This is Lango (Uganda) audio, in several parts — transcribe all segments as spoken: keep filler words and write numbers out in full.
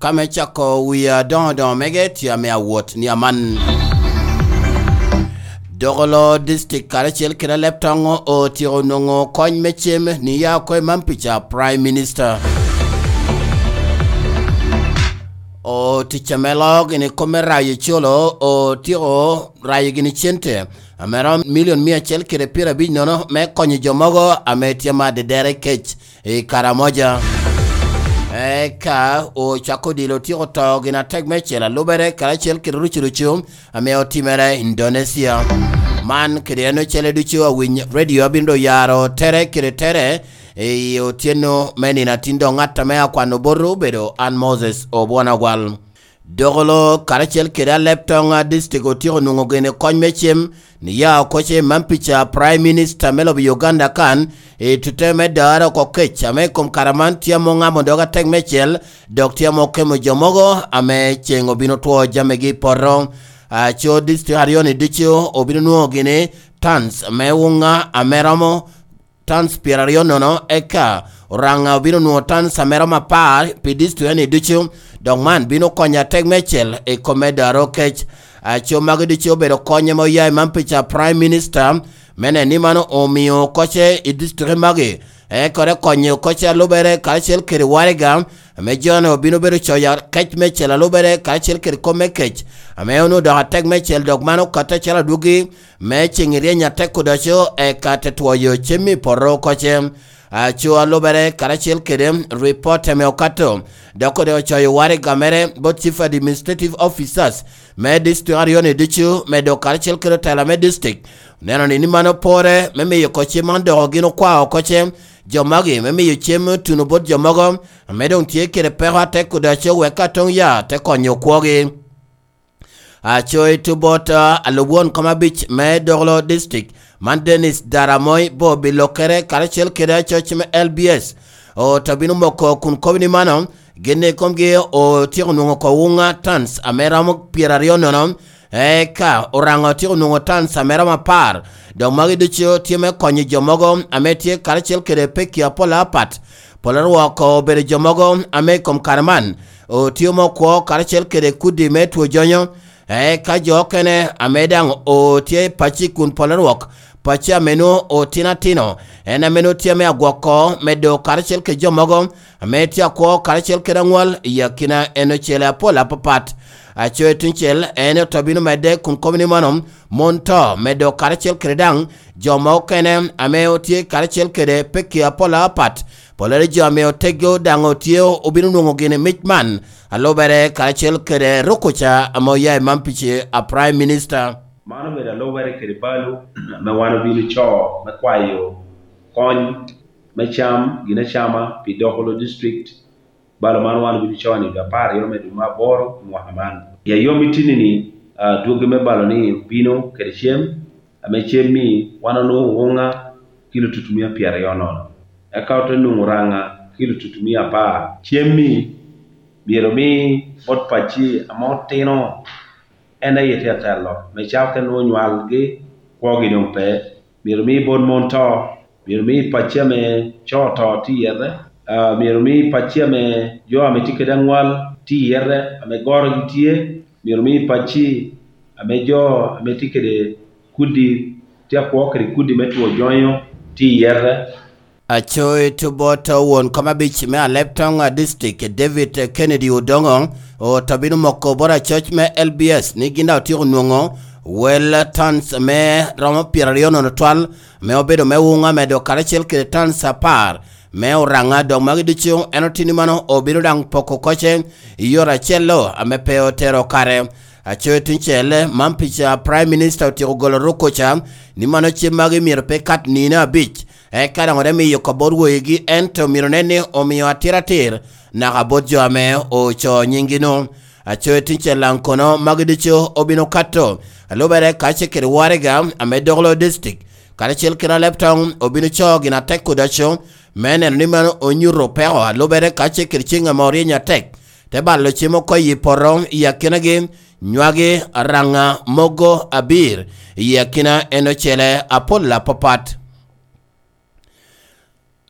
Ka me cako wia doŋo doŋo mege tye ame awot ni aman. Dogolo District karacel kede Aleptoŋ otyeko nwoŋo kony me cem ni ya oko i Mampica Prime Minister. O tic ame loo gini kop me rayo ecolo otyeko rayo gini cente ame romo milion mia acel kede pyerabic nono me konyo jo mogo ame tye ma dedere kec i Karamoja. Eka ocako dilo otyeko to gin atek me cel alubere karacel kede rucu rucu ame otimere Indonesia. Man kede en ocele ducu awiny radio abino do yaro tere kede tere i otyeno me nino atin dok ŋat ame akwano boto obedo an Moses Obwona Ogwal. Dogolo karacel kede Aleptoŋ District otyeko nwoŋo gene kony me cem ni ya oko ce Mampica Prime Minister me lobo Uganda kan i tute me daro oko kec ame i kom kare man tye amo ŋamo dog atek mecel dok tye amo kemo jo mogo ame ceŋ obino two jamigi i poto. Aco district aryo-ni ducu obino nwoŋo gini tons me wuŋa ame romo tons pyeraryo nono, eka Oraŋa obino nwoŋo tons ame romo apar pi district-ni ducu, dok man bino konyo atek mecel i kom me daro kec. Aco magi ducu obedo kony ame oya i Mampica Prime Minister, me neno ni mano omio koce i district magi, eka te konyo koce alubere karacel kede waraga, ame jo-ni obino bedo coyo kec mecel alubere karacel kede kop me kec, ame onwoŋo dok atek mecel dok mano okatte acalo adwogi me ceŋ i ryeny atek odoco eka te twoyo cem i poto koce. Aco alubere karacel kede ripot ame okato, dok ode ocoyo waraga mere bot Chief Administrative Officers me district aryo-ni ducu, medo karacel kede otela me district, oneno ni, ni mano pore me miyo oko cem man dok gin okwao oko cem jo magi me miyo cem tuno bot jo mogo ame doŋ tye kede peko atek odoco wek ka toŋ ya te konyo okwogi. Aco i tubot, ah, alub won kom abic me Doglo District, man Dennis Daramoi Bobi Lokere karacel kede acoc me L B S oto bino moko kun kobo ni mano, gin i komgi otyeko nwoŋo oko wuŋa tons ame romo pyeraryo nono, eka Oraŋo otyeko nwoŋo tons ame romo apar. Dok magi ducu tye me konyo jo mogo ame tye karacel kede pekki apol apat. Pol arwoko obedo jo mogo ame i kom kare man otio me okwo karacel kede kudi me two jonyo, eka jo okene ame daŋ otye i pacci kun pol arwok pacci ame nwoŋo otino atino, en ame nwoŋo tye ame agwoko medo karacel kede jo mogo ame tye akwo karacel kede aŋwal i akina en ocele apol apapat. Aco i tuŋ cel en oto bino medde kun kobo ni mano mon to medo karacel kede daŋ jo ma okene ame otye karacel kede pekki apol apat. Pollere jo ame oteggi daŋ otye obino nwoŋo gini mic man, alubere karacel kede rukuca ame oya i Mampici a Prime Minister. Man obedo alubere kede balo ame wan obino co me kwayo kony me cam, gin acama pi Dokolo District. Balo man wan obino co ni dwe apar aryo me dwe me aboro mwaka man. I ayom itini-ni, ah, dwogi me balo-ni obino kede cem, ame cem-mi wan onwoŋo wuŋa kilo tutumia pyeraryo nono, eka ote nwoŋo raŋa kilo tutumia apar. Cem-mi myero omi bot pacci ame otino en aye tye atelo, me cako ka nwoŋo nywalgi kwogi doŋ pe. Myero omi bot mon to, myero omi pacci ame co to tye iyete, ah, myero omi pacci ame jo ame tye kede aŋwal tye iyete, ame gorogi tye, myero omi pacci ame jo ame tye kede kudi, tye akwo kede kudi me two jonyo tye iyete. Aco i tubot won kom abic me Aleptoŋ District, David Kennedy Odongo, oto bino moko bot acoc me L B S ni gin daŋ otyeko nwoŋo wel tons me romo pyeraryo nono twal, me obedo me wuŋa medo karacel kede tons apar me oraŋa, dok magi ducu en otini mano obino daŋ poko koce i yore acel-lo ame pe otero kare. Aco i tuŋ cel, man pica Prime Minister otyeko golo ruk koca ni mano cem magi myero pe kat nino abic, eka daŋ ote miyo kop bot woyigi, ento myero nen ni omiyo atir atir naka bot jo ame oco nyingi-nu. Aco i tuŋ cel daŋ kono magi ducu obino kato, alubere kacel kede waraga ame Doglo District, karacel kede Aleptoŋ obino co gin atek kudaco, me neno ni mano onyuto peko alubere kacel kede ceŋ ame oryeny atek, te balo cem oko i poto i akinagi, nywagi araŋa mogo abir i akina en ocele apol apapat.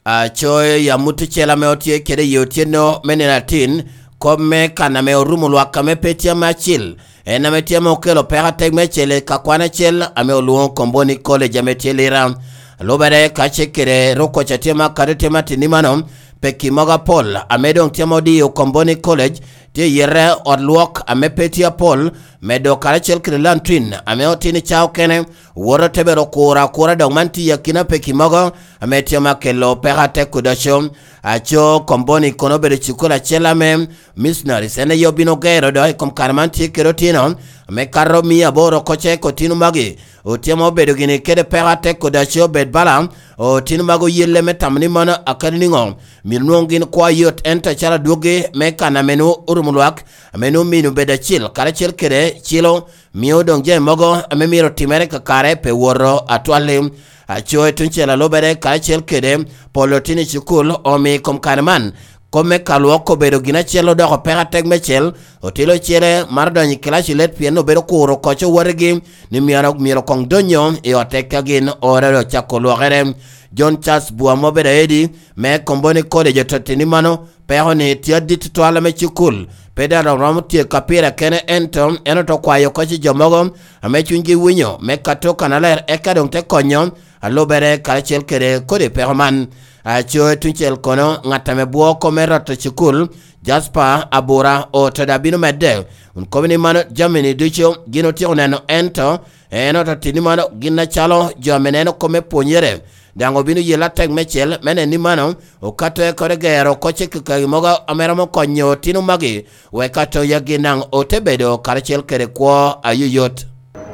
Acoyo i amut ocele ame otye kede i otyeno me nino atin, Kop me kan ame orumo lwak ame pe tye ame acil, en ame tye ame okelo peko atek me cel i kakwan acel ame olwoŋo Komboni College ame tye Lira. Lubere ka ce kede rukkoc a tye ma kadi tye ma tini mano, peki mogo apol ame doŋ tye ma odiyo Komboni College tye i yite ot lwok ame pe tye apol, medo karacel kede lantrin ame otino i ca okene, woto te bedo kuro akura dok man tye i akina peki mogo ame tye ma kelo peko atek kudoco. Aco Komboni kono obedo cukul acel ame missionaries en aye obino gero dok i kom kare man tye kede otino ame kato mia aboro oko ce otino magi otye ma obedo gini kede peko atek kudoco obed bala otino mago yelle me tamo ni mano akadi niŋo myero nwoŋo gin kwo ayot ento acalo adwoggi me kan ame nwoŋo orumo lwak ame nwoŋo mino bedo acil karacel kede cilo mio doŋ jami mogo ame myero otimere kakare pe woto atwalli. Aco i tuŋ cel alubere karacel kede polo tin i cukul omi i kom kare man kop me kalwok obedo gin acel odoko peko atek me cel otilo ocele mar donyo i kilaci let pien obedo kuro koc owotigi ni myero myero koŋ donyo i otte ka gin ore ocako lwokere. John Charles Bua ma obedo aedi me Komboni College ototti ni mano peko ni tye adit tutwal ame cukul pe daŋ romo tye ka pire kene ento en oto kwayo oko ci jo mogo ame cunygi winyo me kato kanaler eka doŋ te konyo alubere karacel kede kodi peko man. Aco i tuŋ cel kono ŋat ame bwo kome roto cukul Jasper Abura oto daŋ bino medde kun kobo ni mano jami-ni ducu gin otyeko neno ento en oto tini mano gin acalo jo ame neno kome pwonyere daŋ obino yelo atek me cel me neni mano okato ekore gero kocce kakagi mogo ame romo konyo otino magi wek atoyagi naŋ ote bedo karacel kede kwo ayoyot.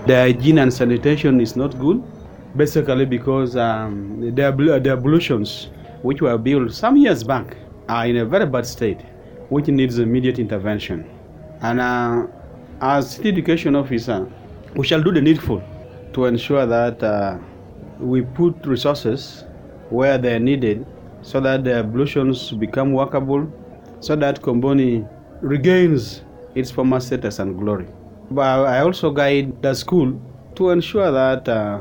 The hygiene and sanitation is not good, basically because um, the, ablu- the ablutions which were built some years back are in a very bad state, which needs immediate intervention. And uh, as city education officer, we shall do the needful to ensure that uh, we put resources where they're needed so that the ablutions become workable, so that Komboni regains its former status and glory. But I also guide the school to ensure that uh,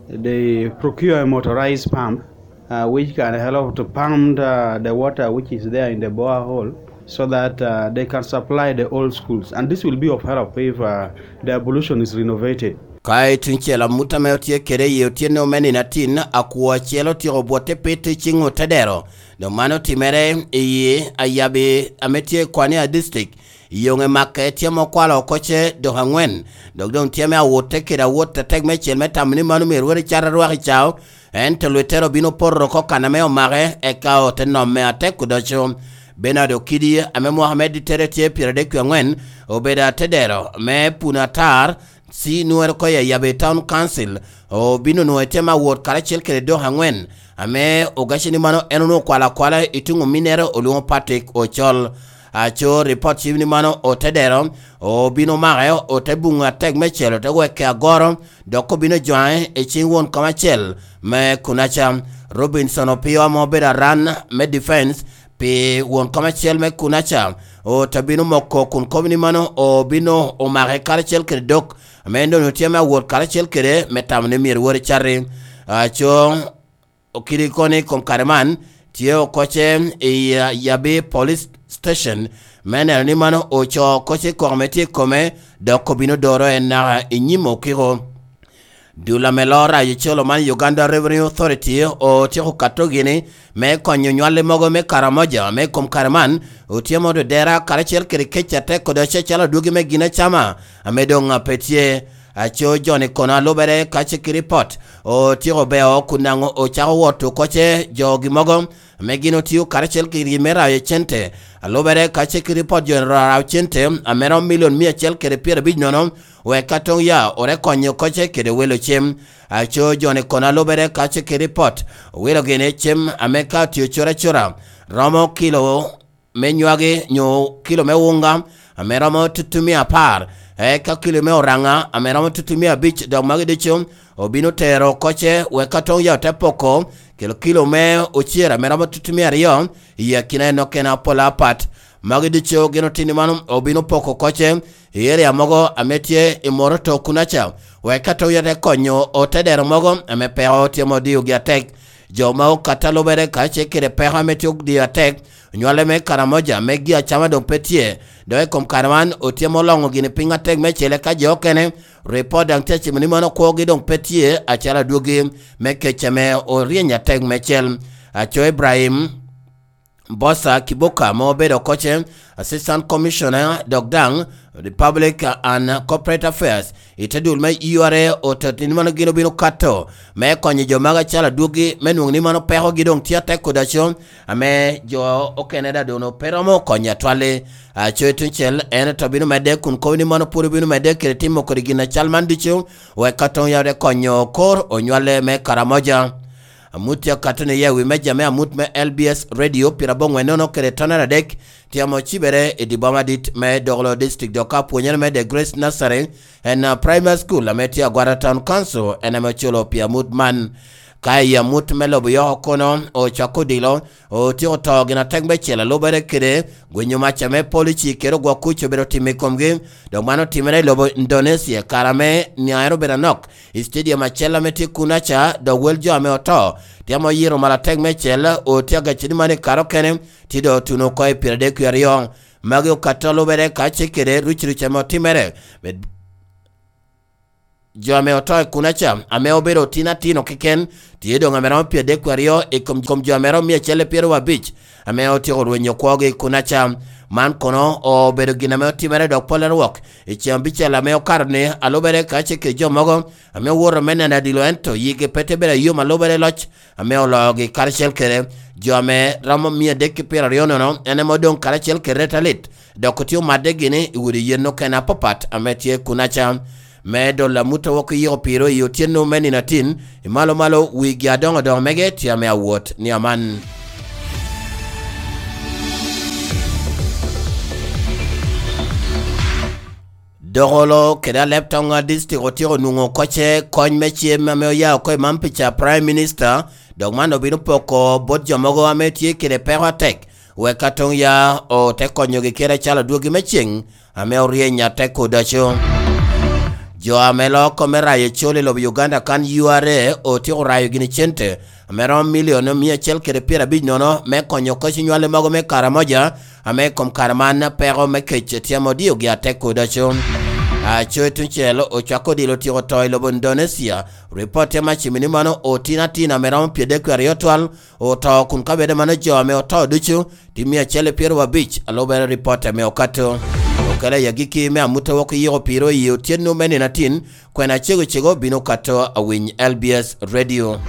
they procure a motorized pump uh, which can help to pump uh, the water which is there in the borehole so that uh, they can supply the old schools. And this will be of help if uh, the ablution is renovated. Ka i tuŋ cel amut ame otye kede i otyeno me nino atin, akwo acel otyeko bwotte pit i ciŋ otedero. Dok man otimere i Ayabi ame tye i Kwania District. Yoŋe makke tye ma okwalo oko ce dok aŋwen, dok doŋ tye me awotte kede awot atek me cel me tamo ni mano myero wot i cat arwak i cao, ento lwettere obino poto oko kan ame omake, eka ote nomme atek odoco. Benard Okidi, ame mwaka me dittere tye pyeradek wie aŋwen, obedo atedero me Puno Atar, ci nwere oko i Ayabe Town Council, obino nwoŋo itye me awot karacel kede dok aŋwen, ame ogaci ni mano en onwoŋo okwalo akwala i tuŋ ominnere olwoŋo Patrick Ocol. Aco ripot cim ni mano otedero obino make ote buŋo atek me celo te weke agoro dok obino jwaŋe i ciŋ won kom acel me kunaca. Robinson Opio ame obedo aran me defense pi won kom acel me kunaca ote bino moko kun kobo ni mano obino omake karacel kede dok ame en doŋ tye me awot karacel kede me tamo ni myero wot icati. Aco okidi kono i kom kare man tye okoce i Yabi Police Station me neno ni mano oco okoce i koko me tye i kome dok obino doro en naka i nyim okiko. Dul ame loo rayo colo man Uganda Revenue Authority otyeko kato gini me konyo nywalli mogo me Karamoja me kom kare man otyemo dodera karacel kede kec atek kodi acecalo adwogi me gin acama ame doŋ pe tye. Aco joni kono alubere ka cik ripot otyeko beo kun daŋ ocako wot okoce jogi mogo ame gin otio karacel kede me rayo cente. Alubere ka cik ripot joni ro rayo cente ame romo milion mia acel kede pyerabic nono wek ka toŋ ya ore konyo okoce kede welo cem. Aco joni kono alubere ka cik ripot owilo gini cem ame ka otio cura cura romo kilo me nywagi nyo kilo me wunga ame romo tutumia apar, eka kilo me oraŋa ame romo tutumia abic, dok magi ducu obino tero okoce wek ka toŋ ya ote poko kilo kilo me ocer ame romo tutumia aryo i akina en okene apola apat. Magi ducu gin otini man obino poko okoce i eria mogo ame tye i moro to kunaca, wek ka toŋ ya te konyo otedero mogo ame peko tye ma odiogi atek. Jo ma okato alubere kacel kede peko ame tye odiyo atek Onywale me Karamoja, me gi acama doŋ pe tye. Dok i kom kare man, otyemo loŋo gini piny atek me cele ka jo okene. Ripot daŋ tye acimo ni mano kwogi doŋ pe tye, acalo adwogi me kec ame oryeny atek me cel. Aco Ibrahim Bosa Kibuka, ma obedo koce, Assistant Commissioner, dok daŋ the Public and Corporate Affairs, i te dul me U R A, oto ni mano gin obino kato me konyo jo magi acalo adwogi, me nwoŋo ni mano pekogi doŋ tye atek kodaco, ame jo okene daŋ doŋ pe romo konyo atwal-li. Aco i tuŋ cel, en oto bino medde kun kobo ni mano pwod obino medde kede timo kodi gin acal man ducu, wek ka toŋ yawde konyo kor onywale me Karamoja. Amut tye akato ni iye wi meja me amut me L B S Radio pira boŋwen nono kede tonere adek, tye ame ocibere i di boma dit me Dogolo District, dok ka pwonyere me The Grace Nursery and, uh, Primary School ame tye Agwara Town Council, en ame oculo pi amut man. Ka i amut me lobo Yoko kono, ocako odilo, otyeko to gin atek me cel alubere kede gwinyo mac ame polici kede ogwok kuc obedo timo i komgi, dok man otimere i lobo Indonesia, kare ame niaŋere obedo anok i stadium acel ame tye kunaca, dok wel jo ame oto tye ame oyito malo atek me cel, otye agacci ni man i kare okene, tye doŋ otuno oko i pyeradek wie aryo. Magi okato lubere ka ce kede ruc ruc ame otimere. Med-, jo ame oto i kunaca, ame obedo otino atino keken, tye doŋ ame romo pyeradek wie aryo i kom, kom jo ame romo mia acel i pyeraryo abic, ame otyeko rwenyo kwogi i kunaca. Man kono obedo gin ame otimere dok pol arwok i ceng abicel ame okato ni, alubere ka ce kede jo mogo ame owoto me neno adilo, ento yigi pe te bedo ayom alubere loc ame oloogi karacel kede jo ame romo mia adek ki pyeraryo nono, en ame odoŋ karacel kede reta lit, dok otye omadde gini i udi yen okene apapat ame tye kunaca. Me dolo amut a wok iyiko piro i otyeno me nino atin, i malo malo wigi adoŋo doŋo mege tye ame awot ni aman. Dogolo kede Alep Toŋa District otyeko nwoŋo koce kony me cem ame oya oko i Mampica Prime Minister, dok man obino poko bot jo mogo ame tye kede peko atek, wek ka toŋ ya ote konyogi kede acalo adwogi me ceŋ ame oryeny atek odaco. Jo ame loko me rayo ecol i lobo Uganda kan U R A otyeko rayo gini cente ame romo milion mia acel kede pyerabic nono me konyo koc nywale mogo me Karamoja, ame i kom kare man peko me kec tye ame odiogi atek kodaco. Aco i tuŋ cel ocako odilo otyeko to i lobo Indonesia. Ripot tye ame acimo ni mano otino atin ame romo pyeradek wie aryo twal oto, kun ka bed mano jo ame oto ducu tye mia acel i pyeraryo abic, alubere ripot ame okato. Okele i agikki me amut a wok iyiko piro i otyeno me nino atin, kwena cego cego bino kato awiny L B S Radio.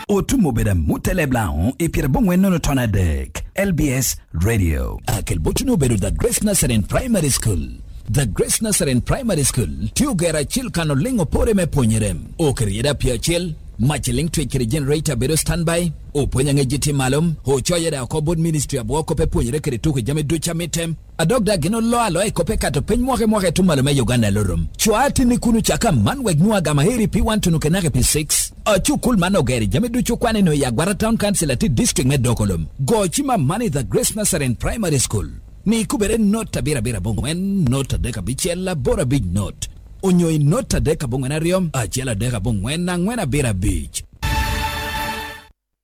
Otum obedo amut i Leblango i pyerabongwen nono ton adek, L B S Radio. Akel botuni obedo The Grace Nazarene Primary School. The Grace Nazarene Primary School tye ogero acil kan oliŋ opore me pwonyere. Oketo yeda pye acel, mac liŋ twec kede generator bedo standby, opwony aŋec tye malo, ocoyo yeda oko bot ministry abwo kop epwonyere kede tuko jami ducu amitte. A dok daŋ gin oloo aloa i kop ekato piny mwaka i mwaka i tuŋ malo me Uganda i Lorom. Cwa atinni kun ocako aman wek nwoŋo agama heri P one tunu kenaka P six. Acukul man ogero i jami ducu okwane nwoŋo i Agwara Town Council atit district me Dokolom. Go cim aman i The Grace Nazarene Primary School. Mi kubere not abiro abiro aboŋwen, not adek abicel, aboro abic not. Onyo i not adek aboŋwen aryo, acel adek aboŋwen, aŋwen abiro abic.